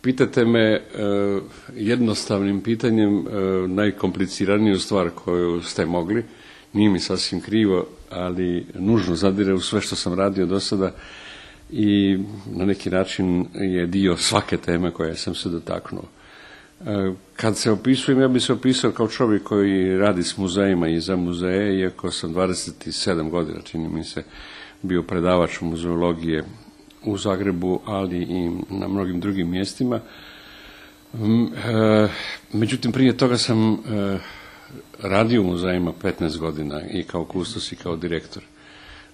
Pitate me jednostavnim pitanjem najkompliciraniju stvar koju ste mogli. Nije mi sasvim krivo, ali nužno zadire u sve što sam radio do sada i na neki način je dio svake teme koje sam se dotaknuo. Kad se opisujem, ja bih se opisao kao čovjek koji radi s muzejima i za muzeje, iako sam 27 godina, čini mi se, bio predavač muzeologije u Zagrebu, ali i na mnogim drugim mjestima. Međutim, prije toga sam radio u muzejima 15 godina i kao kustos i kao direktor.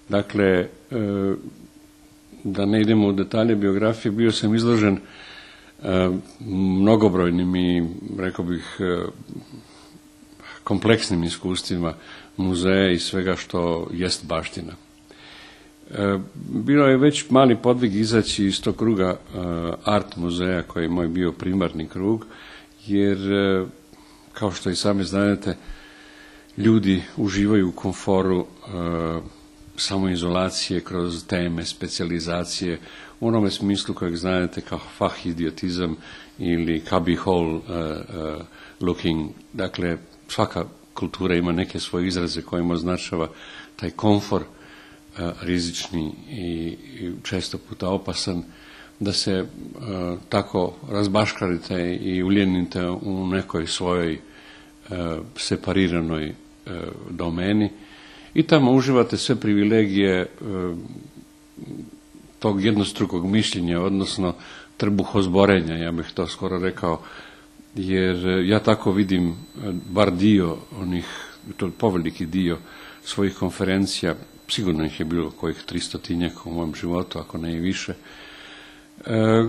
Dakle, da ne idemo u detalje biografije, bio sam izložen mnogobrojnim i, rekao bih, kompleksnim iskustvima muzeja i svega što jest baština. Bilo je već mali podvig izaći iz tog kruga art muzeja koji je moj bio primarni krug, jer kao što i sami znate, ljudi uživaju u komforu samoizolacije kroz teme, specijalizacije, u onome smislu kojeg znate kao fahidiotizam ili cubby hole looking. Dakle, svaka kultura ima neke svoje izraze kojima označava taj komfor, rizični i često puta opasan, da se tako razbaškarite i uljenite u nekoj svojoj separiranoj domeni i tamo uživate sve privilegije tog jednostrukog mišljenja, odnosno trbuhozborenja, ja bih to skoro rekao, jer ja tako vidim bar dio onih, to poveliki dio svojih konferencija, sigurno ih je bilo kojih 300 u mom životu, ako ne i više,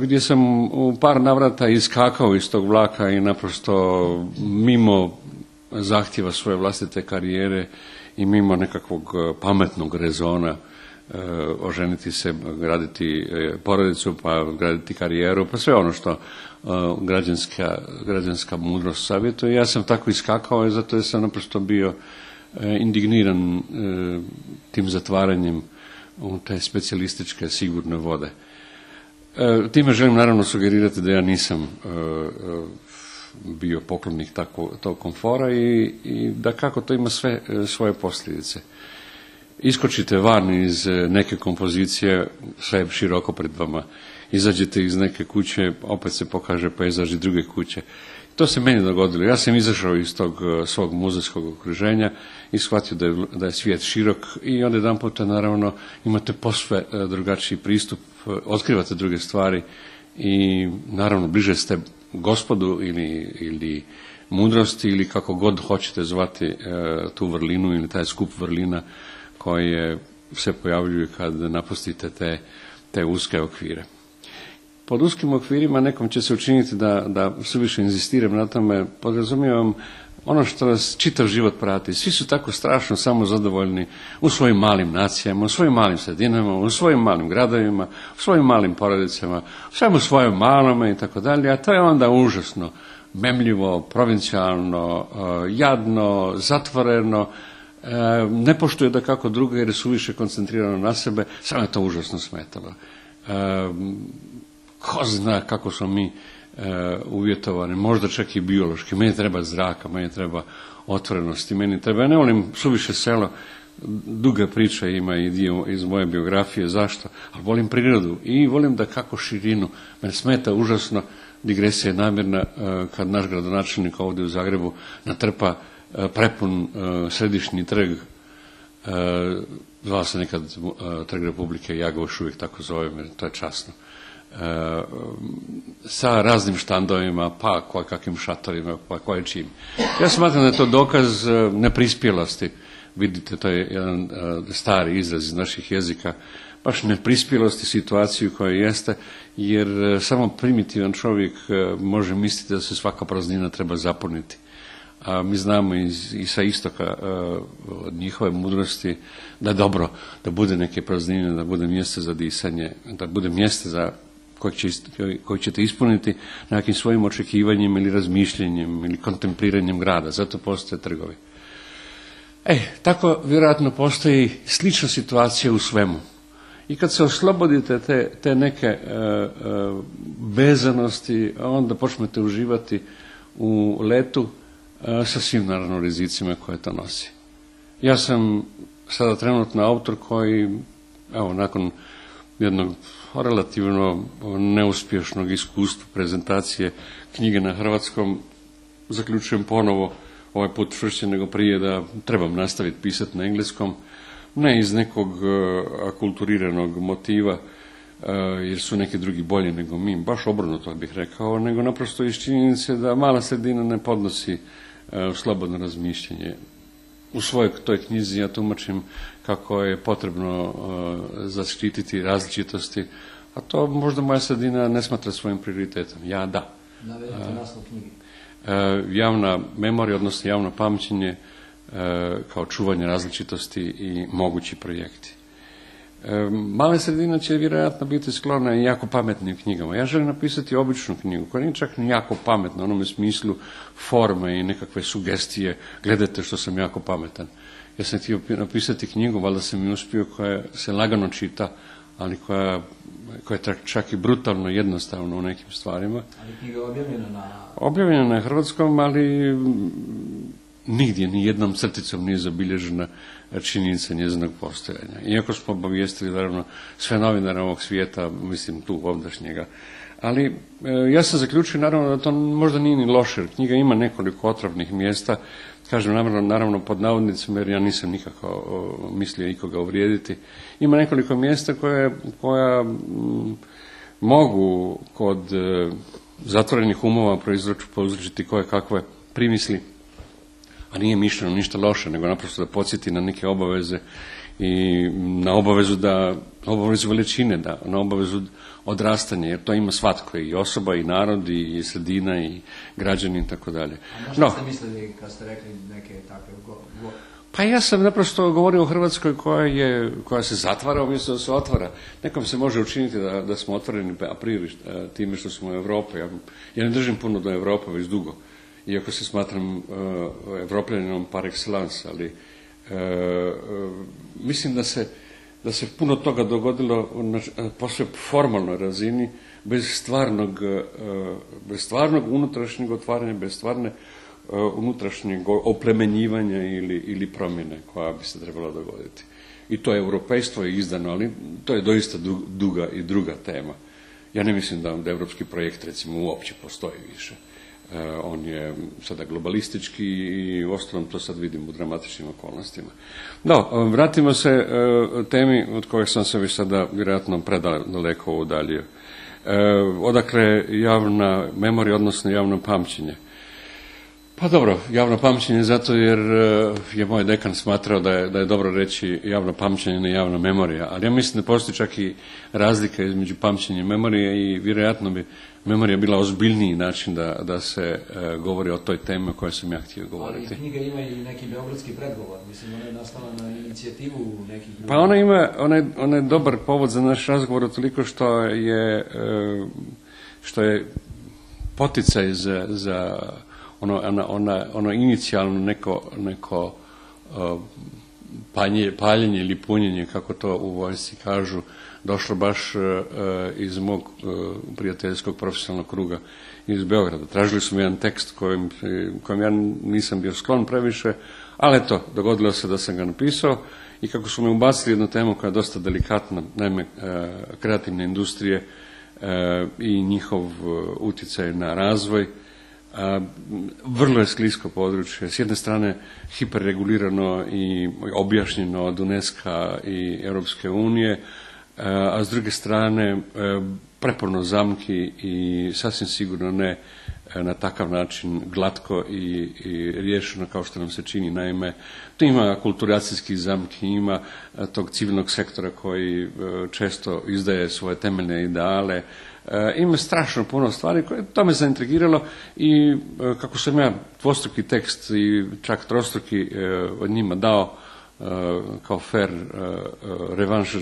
gdje sam u par navrata iskakao iz tog vlaka i naprosto mimo zahtjeva svoje vlastite karijere i mimo nekakvog pametnog rezona oženiti se, graditi porodicu, pa graditi karijeru, pa sve ono što građanska mudrost savjetuje. Ja sam tako iskakao i zato sam naprosto bio indigniran tim zatvaranjem u te specijalističke sigurne vode. Time želim naravno sugerirati da ja nisam bio poklonik tog komfora i da kako to ima sve svoje posljedice. Iskočite van iz neke kompozicije, sve je široko pred vama. Izađete iz neke kuće, opet se pokaže pejzaž i druge kuće. To se meni dogodilo. Ja sam izašao iz tog svog muzejskog okruženja i shvatio da je svijet širok i onda jedan puta naravno imate posve drugačiji pristup, otkrivate druge stvari i naravno bliže ste Gospodu ili mudrosti ili kako god hoćete zvati tu vrlinu ili taj skup vrlina koje se pojavljuju kad napustite te uske okvire. Pod uskim okvirima nekom će se učiniti da suviše inzistiram na tome, podrazumijevam ono što nas čitav život prati. Svi su tako strašno samozadovoljni u svojim malim nacijama, u svojim malim sredinama, u svojim malim gradovima, u svojim malim porodicama, u svemu svojom malome i tako dalje, a to je onda užasno memljivo, provincijalno, jadno, zatvoreno, ne poštuje da kako drugo jer je suviše koncentrirano na sebe, samo je to užasno smetalo. Ko zna kako smo mi uvjetovani, možda čak i biološki. Meni treba zraka, meni treba otvorenosti, meni treba, ja ne volim suviše selo, duga priča ima i dio iz moje biografije, zašto, ali volim prirodu i volim da kako širinu, mene smeta užasno, digresija je namjerna, kad naš gradonačelnik ovdje u Zagrebu natrpa prepun središnji trg, zvao se nekad Trg Republike, ja ga još uvijek tako zovem, jer to je časno, sa raznim štandovima, pa kakvim šatorima, pa koje čim. Ja smatram da je to dokaz neprispjelosti. Vidite, to je jedan stari izraz iz naših jezika, baš neprispjelosti situaciju koja jeste, jer samo primitivan čovjek može misliti da se svaka praznina treba zapuniti. A mi znamo i sa istoka od njihove mudrosti da je dobro da bude neke praznine, da bude mjesto za disanje, da bude mjesto za koji ćete ispuniti nekim svojim očekivanjem ili razmišljanjem ili kontempliranjem grada. Zato postoje trgovi. Tako vjerojatno postoji slična situacija u svemu. i kad se oslobodite te neke vezanosti, onda počnete uživati u letu sa svim naravno rizicima koje to nosi. Ja sam sada trenutno autor koji, evo, nakon jednog relativno neuspješnog iskustva prezentacije knjige na hrvatskom, zaključujem ponovo, ovaj put čvršće nego prije, da trebam nastaviti pisati na engleskom, ne iz nekog akulturiranog motiva, jer su neki drugi bolji nego mi, baš obrnuto bih rekao, nego naprosto iz činjenice da mala sredina ne podnosi slobodno razmišljanje. U svojoj toj knjizi ja tumačim kako je potrebno zaštititi različitosti, a to možda moja sredina ne smatra svojim prioritetom. Ja da. Navedite naslov knjige. Javna memorija, odnosno javno pamćenje kao čuvanje različitosti i mogući projekti. Male sredine će vjerojatno biti sklone i jako pametnim knjigama. Ja želim napisati običnu knjigu koja nije čak ni jako pametna u onome smislu forme i nekakve sugestije, gledajte što sam jako pametan. Ja sam htio napisati knjigu, valjda sam i uspio, koja se lagano čita, ali koja je čak i brutalno jednostavna u nekim stvarima. Ali knjiga je objavljena na... Objavljena na hrvatskom, ali nigdje, ni jednom crticom nije zabilježena činjenica njezinog postojanja. Iako smo obavijestili, naravno, sve novinare ovog svijeta, mislim tu ovdašnjega. Ali ja sam zaključio, naravno, da to možda nije ni loše, jer knjiga ima nekoliko otrovnih mjesta, kažem naravno pod navodnicima, jer ja nisam nikako mislio ikoga uvrijediti. Ima nekoliko mjesta koja mogu kod zatvorenih umova prouzročiti koje kakve primisli, a nije mišljeno ništa loše, nego naprosto da podsjeti na neke obaveze i na obavezu veličine, na obavezu odrastanja, jer to ima svatko, i osoba, i narod, i sredina, i građani, i tako dalje. A na što ste mislili kad ste rekli neke takve Pa ja sam naprosto govorio o Hrvatskoj koja se zatvara umjesto da se otvara. Nekom se može učiniti da smo otvoreni a priori time što smo u Europi. Ja ne držim puno do Europe već dugo, iako se smatram Evropljaninom par excellence, ali mislim da se puno toga dogodilo na posve formalnoj razini, bez stvarnog unutrašnjeg otvaranja, bez stvarne unutrašnjeg oplemenjivanja ili promjene koja bi se trebala dogoditi. I to europejstvo je izdano, ali to je doista duga i druga tema. Ja ne mislim da evropski projekt recimo uopće postoji više. On je sada globalistički i uostalom to sad vidim u dramatičnim okolnostima. No, vratimo se temi od koje sam se već sada vjerojatno predaleko udaljio. Odakle javna memorija, odnosno javno pamćenje? Pa dobro, javno pamćenje zato jer je moj dekan smatrao da je dobro reći javno pamćenje, ne javna memorija, ali ja mislim da postoji čak i razlika između pamćenja i memorije i vjerojatno bi memorija bila ozbiljniji način da se govori o toj temi o kojoj sam ja htio govoriti. Ali knjiga ima i neki beogradski predgovor, mislim, ona je nastala na inicijativu nekih ljudi. Pa ona je dobar povod za naš razgovor toliko što je poticaj za ono inicijalno neko paljenje ili punjenje, kako to u vojsci kažu, došlo baš iz mog prijateljskog profesionalnog kruga iz Beograda. Tražili su mi jedan tekst kojem ja nisam bio sklon previše, ali eto, dogodilo se da sam ga napisao i kako su me ubacili jednu temu koja je dosta delikatna, naime kreativne industrije i njihov utjecaj na razvoj. Vrlo je sklisko područje, s jedne strane hiperregulirano i objašnjeno od UNESCO i Europske unije, a s druge strane prepuno zamki i sasvim sigurno ne na takav način glatko i riješeno kao što nam se čini. Naime, tu ima kulturacijskih zamki, ima tog civilnog sektora koji često izdaje svoje temeljne ideale, ima strašno puno stvari koje to me zaintrigiralo i kako sam ja dvostruki tekst i čak trostruki od njima dao kao fair revanš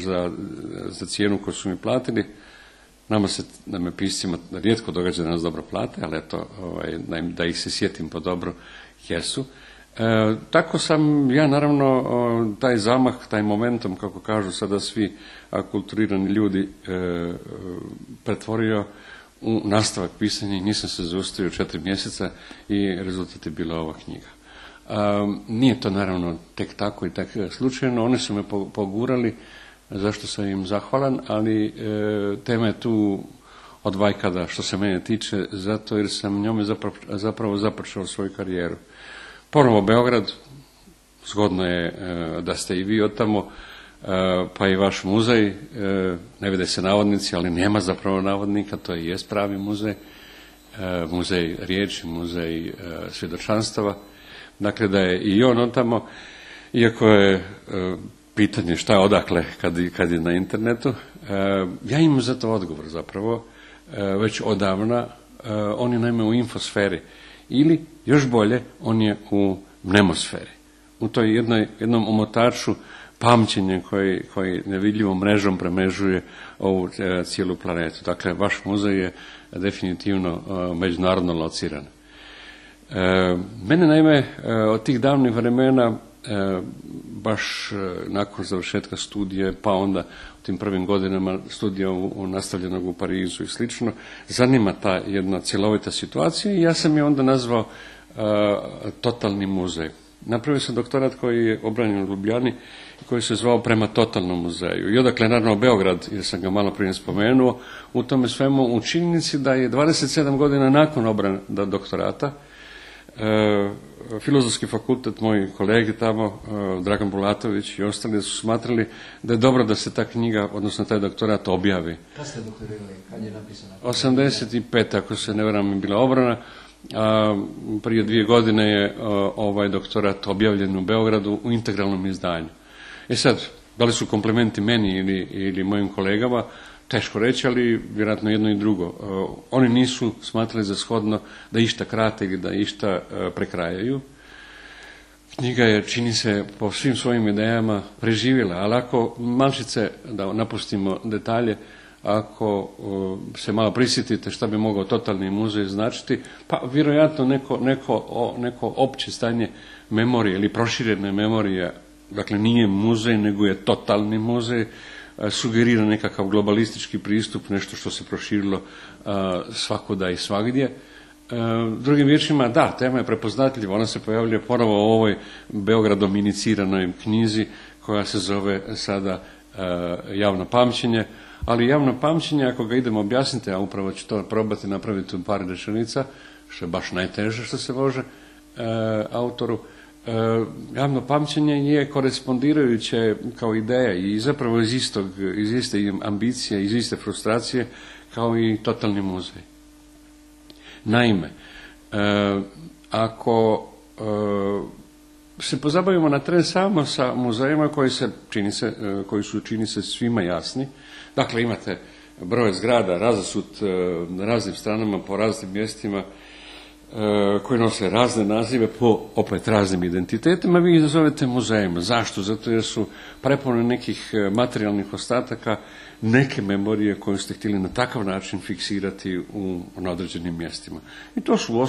za cijenu koju su mi platili. Nama piscima rijetko događa da nas dobro plate, ali eto, da ih se sjetim po dobro, jesu. Tako sam ja naravno taj zamah, taj momentum, kako kažu sada svi akulturirani ljudi, pretvorio u nastavak pisanja i nisam se zaustavio 4 mjeseca i rezultat je bila ova knjiga. Nije to naravno tek tako i tak slučajno, oni su me pogurali, zašto sam im zahvalan, ali tema je tu od vajkada što se mene tiče, zato jer sam njome zapravo započeo svoju karijeru. Ponovo Beograd, zgodno je da ste i vi od tamo, pa i vaš muzej, ne vide se navodnici, ali nema zapravo navodnika, to je jest pravi muzej, muzej riječi, muzej svjedočanstava, dakle da je i on od tamo, iako je pitanje šta je odakle kad je na internetu, ja imam za to odgovor zapravo, već odavna, on je naime u infosferi, ili još bolje, on je u mnemosferi, u toj jednom omotaču pamćenja koji nevidljivom mrežom premežuje ovu cijelu planetu. Dakle, vaš muzej je definitivno međunarodno lociran. Mene naime od tih davnih vremena, baš nakon završetka studije, pa onda u tim prvim godinama studija nastavljenog u Parizu i slično, zanima ta jedna cjelovita situacija i ja sam je onda nazvao totalni muzej. Napravio sam doktorat koji je obranjen u Ljubljani i koji se zvao Prema totalnom muzeju. I odakle naravno Beograd, jer sam ga malo prije spomenuo, u tome svemu u činjenici da je 27 godina nakon obrane doktorata Filozofski fakultet, moji kolegi tamo, Dragan Bulatović i ostali su smatrali da je dobro da se ta knjiga, odnosno taj doktorat objavi. Kad ste doktorirali? Kad je napisana? 85, ako se ne varam, je bila obrana. Prije 2 godine je ovaj doktorat objavljen u Beogradu u integralnom izdanju. Sad, da li su komplimenti meni ili mojim kolegama, teško reći, ali vjerojatno jedno i drugo. Oni nisu smatrali za shodno da išta krate ili da išta prekrajaju. Knjiga je, čini se, po svim svojim idejama preživjela, ali ako malčice, da napustimo detalje, ako se malo prisjetite šta bi mogao totalni muzej značiti, pa vjerojatno neko opće stanje memorije ili proširene memorije, dakle nije muzej nego je totalni muzej, sugerira nekakav globalistički pristup, nešto što se proširilo svakuda i svagdje. Drugim riječima, da, tema je prepoznatljiva, ona se pojavljuje ponovo u ovoj Beogradom iniciranoj knjizi koja se zove sada Javno pamćenje, ali javno pamćenje, ako ga idemo objasniti, a upravo ću to probati napraviti u par rečenica, što je baš najteže što se može autoru, javno pamćenje je korespondirajuće kao ideja i zapravo iz iste ambicije, iz iste frustracije kao i totalni muzej. Naime, ako se pozabavimo na tren samo sa muzejima koji su čini se svima jasni, dakle imate broj zgrada razasut na raznim stranama po raznim mjestima koji nose razne nazive po opet raznim identitetima, vi ih zovete muzejima. Zašto? Zato jer su prepune nekih materijalnih ostataka, neke memorije koje ste htjeli na takav način fiksirati na određenim mjestima. I to su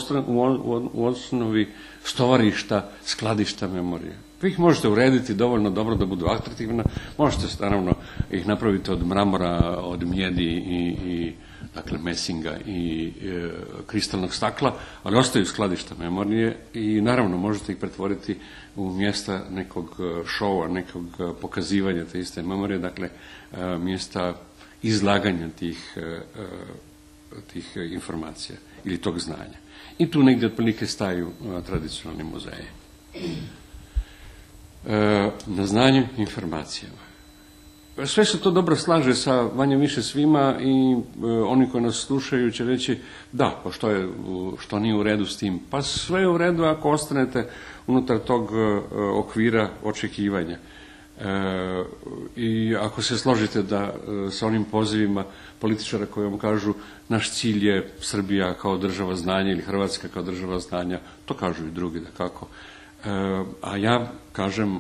u osnovi stovarišta, skladišta memorije. Vi ih možete urediti dovoljno dobro da budu atraktivna, možete naravno ih napraviti od mramora, od mijedi i dakle mesinga i kristalnog stakla, ali ostaju skladišta memorije i naravno možete ih pretvoriti u mjesta nekog šova, nekog pokazivanja te iste memorije, dakle mjesta izlaganja tih informacija ili tog znanja. I tu negdje otprilike staju tradicionalni muzeji. Na znanju, informacijama. Sve se to dobro slaže sa manje više svima i oni koji nas slušaju će reći da, pa što nije u redu s tim? Pa sve je u redu ako ostanete unutar tog okvira očekivanja. I ako se složite da sa onim pozivima političara koji vam kažu naš cilj je Srbija kao država znanja ili Hrvatska kao država znanja, to kažu i drugi dakako. A ja kažem,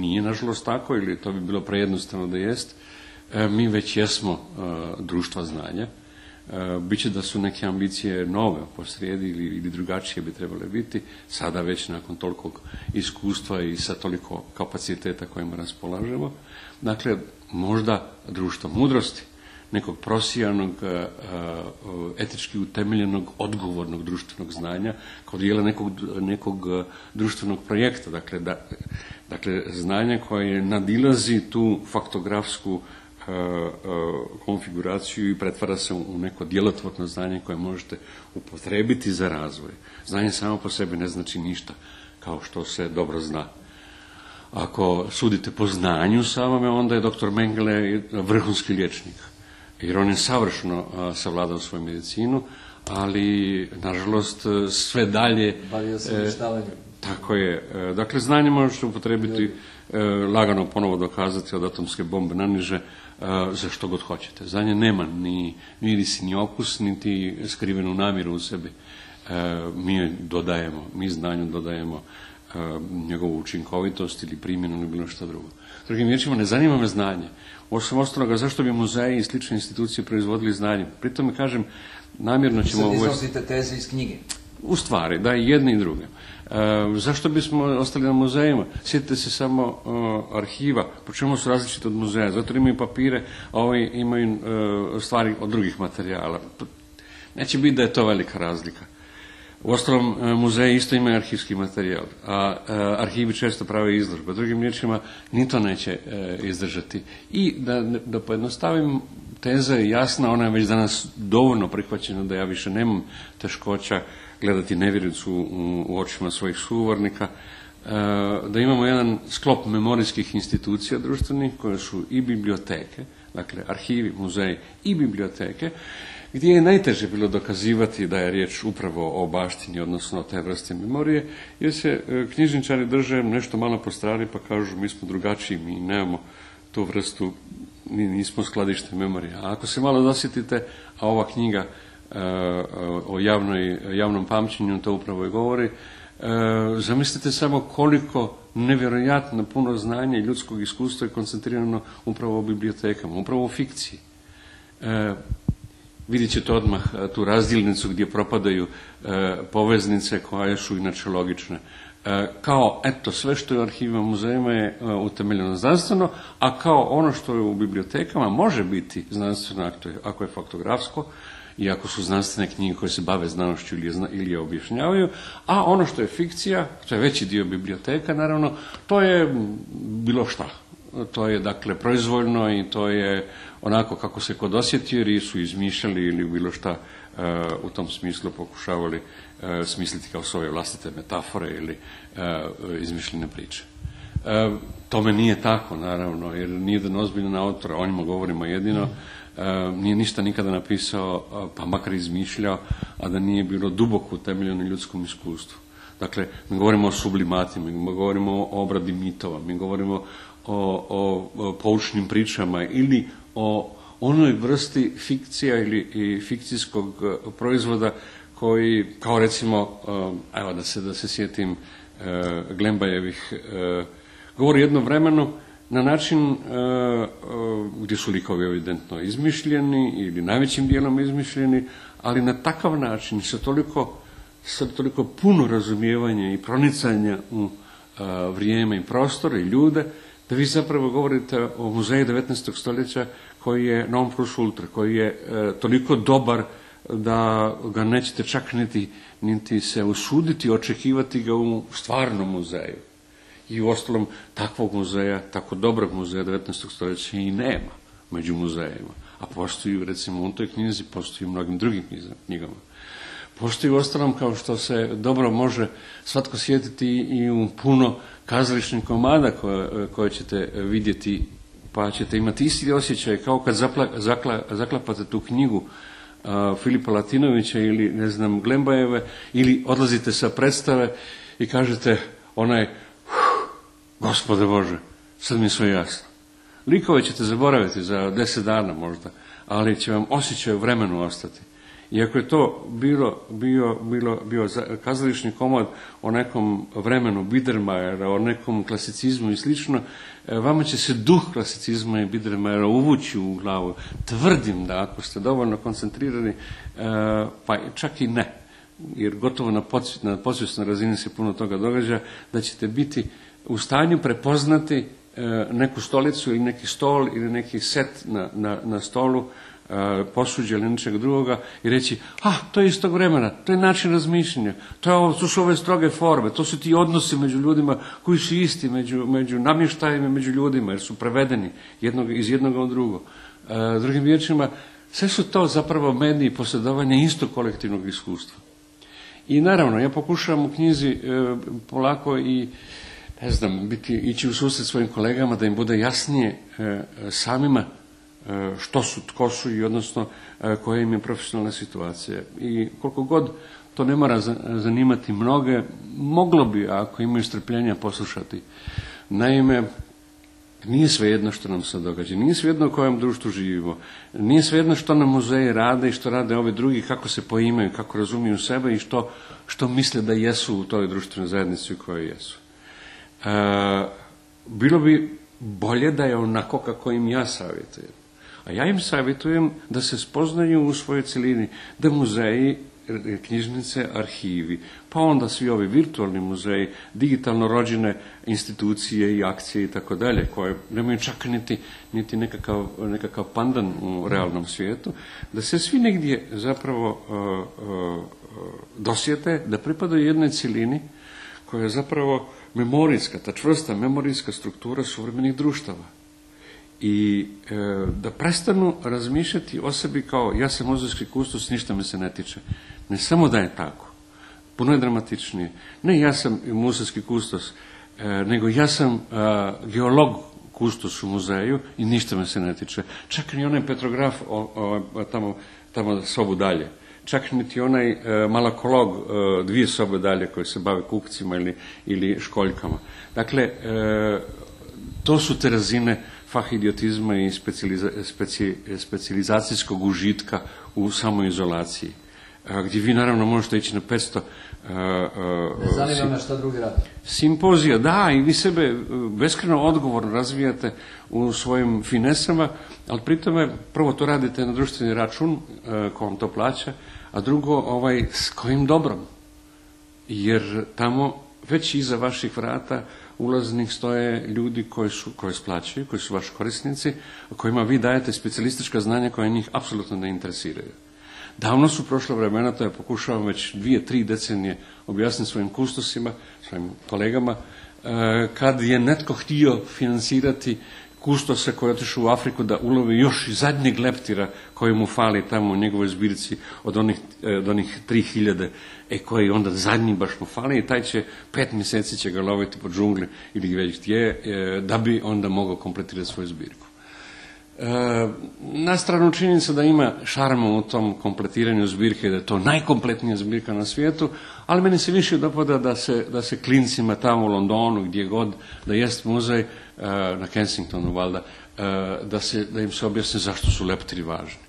nije nažalost tako, ili to bi bilo prejednostavno da jest. Mi već jesmo društva znanja. Biće da su neke ambicije nove posrijedi ili drugačije bi trebale biti, sada već nakon tolikog iskustva i sa toliko kapaciteta kojima raspolažemo. Dakle, možda društvo mudrosti, nekog prosijanog, etički utemeljenog, odgovornog društvenog znanja, kao dijela nekog društvenog projekta. Dakle, znanje koje nadilazi tu faktografsku konfiguraciju i pretvara se u neko djelotvorno znanje koje možete upotrebiti za razvoj. Znanje samo po sebi ne znači ništa, kao što se dobro zna. Ako sudite po znanju samome, onda je dr. Mengele vrhunski liječnik, jer on je savršeno savladao svoju medicinu, ali, nažalost, sve dalje... Bavio se uništavanjem. Tako je. Dakle, znanje možete upotrebiti, lagano ponovo dokazati od atomske bombe naniže, za što god hoćete. Znanje nema ni miris, ni okus, niti skrivenu namjeru u sebi. Mi znanju dodajemo njegovu učinkovitost ili primjenu ili bilo što drugo. Drugim riječima, ne zanima me znanje. Osim ostaloga, zašto bi muzeji i slične institucije proizvodili znanje? Pritom mi kažem, namjerno ćemo... Sad iznosite teze iz knjige. U stvari, da, i jedne i druge. Zašto bismo ostali na muzejima? Sjetite se samo arhiva. Po čemu su različite od muzeja? Zato imaju papire, a ovi imaju stvari od drugih materijala. Neće biti da je to velika razlika. Uostalom, muzeji isto imaju arhivski materijal, a arhivi često prave izložbe. Drugim riječima, ni to neće izdržati. I da pojednostavim, teza je jasna, ona je već danas dovoljno prihvaćena da ja više nemam teškoća gledati nevjericu u očima svojih sugovornika, da imamo jedan sklop memorijskih institucija društvenih koje su i biblioteke, dakle arhivi, muzeji i biblioteke, gdje je najteže bilo dokazivati da je riječ upravo o baštini, odnosno o te vrste memorije, jer se knjižničari drže nešto malo po strani pa kažu mi smo drugačiji, mi nemamo tu vrstu, nismo skladište memorije. A ako se malo dosjetite, a ova knjiga o javnom pamćenju to upravo i govori, zamislite samo koliko nevjerojatno puno znanja i ljudskog iskustva je koncentrirano upravo u bibliotekama, upravo u fikciji. Vidjet ćete odmah tu razdjelnicu gdje propadaju poveznice koje su inače logične. Kao, eto, sve što je u arhivima muzejima je utemeljeno znanstveno, a kao ono što je u bibliotekama može biti znanstveno ako je faktografsko i ako su znanstvene knjige koje se bave znanošću ili je objašnjavaju, a ono što je fikcija, to je veći dio biblioteka, naravno, to je bilo šta. To je, dakle, proizvoljno i to je onako kako se kod osjetio, jer su izmišljali ili bilo šta u tom smislu pokušavali smisliti kao svoje vlastite metafore ili izmišljene priče. Tome nije tako, naravno, jer nije jedan ozbiljan autor, o njima govorimo jedino, nije ništa nikada napisao, pa makar izmišljao, a da nije bilo duboko utemeljeno ljudskom iskustvu. Dakle, mi govorimo o sublimatima, mi govorimo o obradi mitova, mi govorimo o poučnim pričama ili o onoj vrsti fikcija ili fikcijskog proizvoda koji, kao recimo, evo da se sjetim Glembajevih, govori jedno vremenu na način gdje su likovi evidentno izmišljeni ili najvećim dijelom izmišljeni, ali na takav način sa toliko puno razumijevanja i pronicanja u vrijeme i prostor i ljude, da vi zapravo govorite o muzeju 19. stoljeća koji je non plus ultra, koji je toliko dobar da ga nećete čak niti se usuditi očekivati ga u stvarnom muzeju. I u ostalom takvog muzeja, tako dobrog muzeja 19. stoljeća i nema među muzejima. A postoji, recimo, u toj knjizi, postoji u mnogim drugim knjigama. Postoji u ostalom, kao što se dobro može svatko sjetiti, i u puno kazališnih komada koje ćete vidjeti, pa ćete imati isti osjećaj kao kad zaklapate tu knjigu Filipa Latinovića ili, ne znam, Glembajeve, ili odlazite sa predstave i kažete Gospode Bože, sad mi je sve jasno. Likove ćete zaboraviti za 10 dana možda, ali će vam osjećaj u vremenu ostati. I ako je to bio kazališni komad o nekom vremenu Biedermajera, o nekom klasicizmu i slično, vama će se duh klasicizma i Biedermajera uvući u glavu. Tvrdim da ako ste dovoljno koncentrirani, pa čak i ne, jer gotovo na podsvjesnoj razini se puno toga događa, da ćete biti u stanju prepoznati neku stolicu ili neki stol ili neki set na stolu, posuđe ili nečeg drugoga i reći, to je iz tog vremena, to je način razmišljanja, to su ove stroge forme, to su ti odnosi među ljudima koji su isti, među namještajima, među ljudima, jer su prevedeni iz jednog u drugo. Drugim riječima, sve su to zapravo mediji posjedovanja istog kolektivnog iskustva. I naravno, ja pokušavam u knjizi polako i ići u susret svojim kolegama da im bude jasnije samima što su, tko su i odnosno koja im je profesionalna situacija. I koliko god to ne mora zanimati mnoge, moglo bi, ako imaju strpljenja, poslušati. Naime, nije svejedno što nam se događa, nije svejedno u kojem društvu živimo, nije svejedno što nam muzeji rade i što rade ovi drugi, kako se poimaju, kako razumiju sebe i što misle da jesu u toj društvenoj zajednici u kojoj jesu. Bilo bi bolje da je onako kako im ja savjetujem. A ja im savjetujem da se spoznaju u svojoj cjelini, da muzeji, knjižnice, arhivi, pa onda svi ovi virtualni muzeji, digitalno rođene institucije i akcije i tako dalje, koje nemaju čak niti nekakav pandan u realnom svijetu, da se svi negdje zapravo dosjete da pripadaju jednoj cjelini koja je zapravo memorijska, ta čvrsta memorijska struktura suvremenih društava. I da prestanu razmišljati o sebi kao ja sam muzejski kustos, ništa me se ne tiče. Ne samo da je tako, puno je dramatičnije. Ne ja sam muzejski kustos, nego ja sam geolog kustos u muzeju i ništa me se ne tiče. Čak ni onaj petrograf tamo sobu dalje. Čak niti onaj malakolog 2 sobe dalje koji se bave kukcima ili školjkama. Dakle, to su te razine fahidiotizma i specijalizacijskog užitka u samoizolaciji, gdje vi naravno možete ići na 500 ne zanima me šta drugi radi. Simpozija, da, i vi sebe beskrajno odgovorno razvijate u svojim finesama, ali pri tome prvo to radite na društveni račun ko vam to plaća, a drugo s kojim dobrom. Jer tamo već iza vaših vrata ulaznih stoje ljudi koji splaćaju, koji su vaši korisnici, kojima vi dajete specijalistička znanja koja njih apsolutno ne interesiraju. Davno su prošla vremena, to ja pokušavam već 2-3 decenije objasniti svojim kustosima, svojim kolegama, kad je netko htio financirati kustosa koji je otišao u Afriku da ulovi još i zadnjeg leptira koji mu fali tamo u njegovoj zbirci od onih 3000, koji onda zadnji baš mu fali i taj će 5 mjeseci će ga loviti po džungli ili već gdje, da bi onda mogao kompletirati svoju zbirku. Na stranu činjenica da ima šarma u tom kompletiranju zbirke, da je to najkompletnija zbirka na svijetu, ali meni se više dopada da se klincima tamo u Londonu, gdje god da jest muzej, na Kensingtonu valjda, da im se objasni zašto su leptiri važni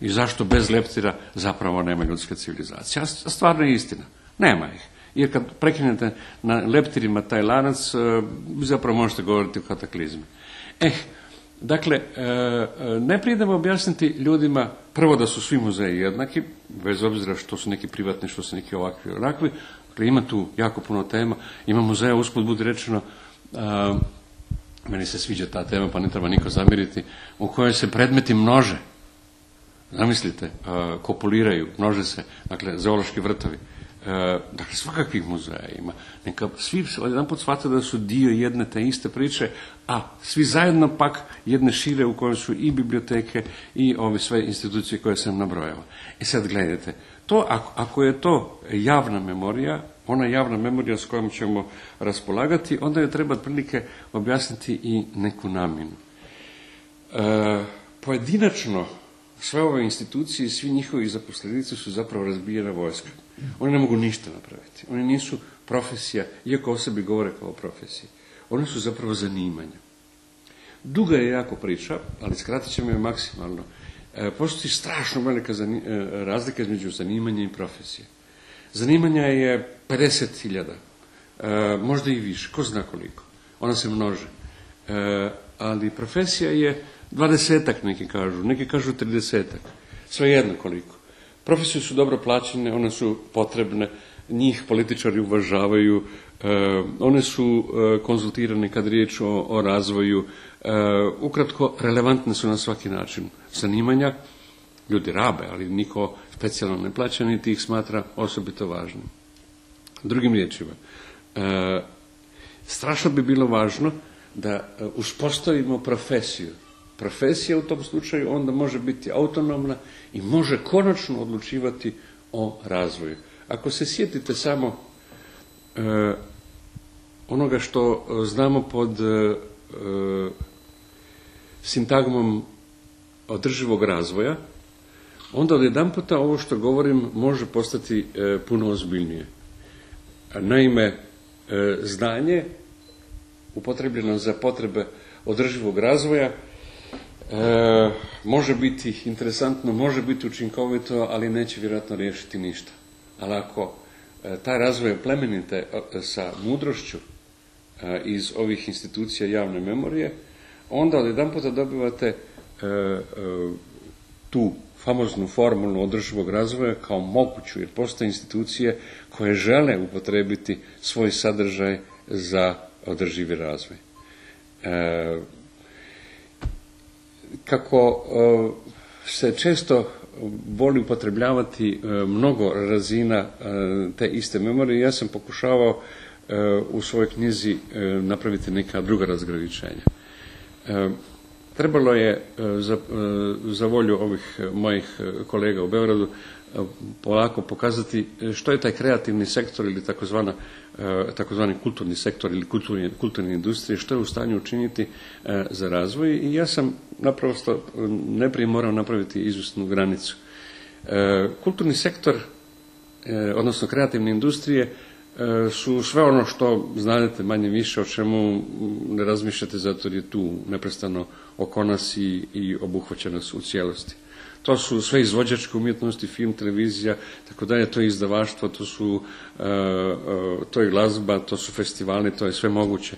i zašto bez leptira zapravo nema ljudske civilizacije. A stvarno je istina, nema ih. Jer kad prekinete na leptirima taj lanac, zapravo možete govoriti o kataklizmi. Dakle, najprije da objasniti ljudima prvo da su svi muzeji jednaki, bez obzira što su neki privatni, što su neki ovakvi onakvi. Dakle, ima tu jako puno tema. Ima muzeja, usput budi rečeno, meni se sviđa ta tema, pa ne treba niko zamiriti, u kojoj se predmeti množe. Zamislite, kopuliraju, množe se, dakle, zoološki vrtovi. Dakle, svakakvih muzeja ima. Neka svi jedan put shvate da su dio jedne te iste priče, a svi zajedno pak jedne šire u kojoj su i biblioteke i ove sve institucije koje sam nabrojao. I sad gledajte, ako je to javna memorija, ona javna memorija s kojom ćemo raspolagati, onda je treba otprilike objasniti i neku namjenu. Pojedinačno, sve ove institucije i svi njihovi zaposlenici su zapravo razbijena vojska. Oni ne mogu ništa napraviti. Oni nisu profesija, iako o sebi govore kao profesiji. Oni su zapravo zanimanja. Duga je jako priča, ali skratit ćemo je maksimalno. postoji strašno velika razlika između zanimanja i profesije. Zanimanja je 50.000, možda i više, ko zna koliko. Ona se množe. Ali profesija je 20-ak, neki kažu 30-ak. Svejedno koliko. Profesije su dobro plaćene, one su potrebne, njih političari uvažavaju, one su konzultirane kad riječ o razvoju, ukratko relevantne su na svaki način. Zanimanja ljudi rabe, ali niko specijalno ne plaća, niti ih smatra osobito važnim. Drugim riječima, strašno bi bilo važno da uspostavimo profesiju. Profesija u tom slučaju onda može biti autonomna i može konačno odlučivati o razvoju. Ako se sjetite samo onoga što znamo pod sintagmom održivog razvoja, onda odjedanputa ovo što govorim može postati puno ozbiljnije. Naime, znanje upotrebljeno za potrebe održivog razvoja može biti interesantno, može biti učinkovito, ali neće vjerojatno riješiti ništa. Ali ako taj razvoj plemenite sa mudrošću iz ovih institucija javne memorije, onda odjedanputa dobivate tu famoznu formulu održivog razvoja kao moguću, jer postoje institucije koje žele upotrebiti svoj sadržaj za održivi razvoj. Kako se često voli upotrebljavati mnogo razina te iste memorije, ja sam pokušavao u svojoj knjizi napraviti neka druga razgraničenja. Trebalo je za volju ovih mojih kolega u Beogradu polako pokazati što je taj kreativni sektor ili takozvani kulturni sektor ili kulturne industrije, što je u stanju učiniti za razvoj, i ja sam naprosto najprije morao napraviti izvjesnu granicu. Kulturni sektor, odnosno kreativne industrije, su sve ono što znate manje više, o čemu ne razmišljate zato jer je tu neprestano oko nas i obuhvaća nas u cijelosti. To su sve izvođačke umjetnosti, film, televizija, tako da je to izdavaštvo, to je glazba, to su festivali, to je sve moguće.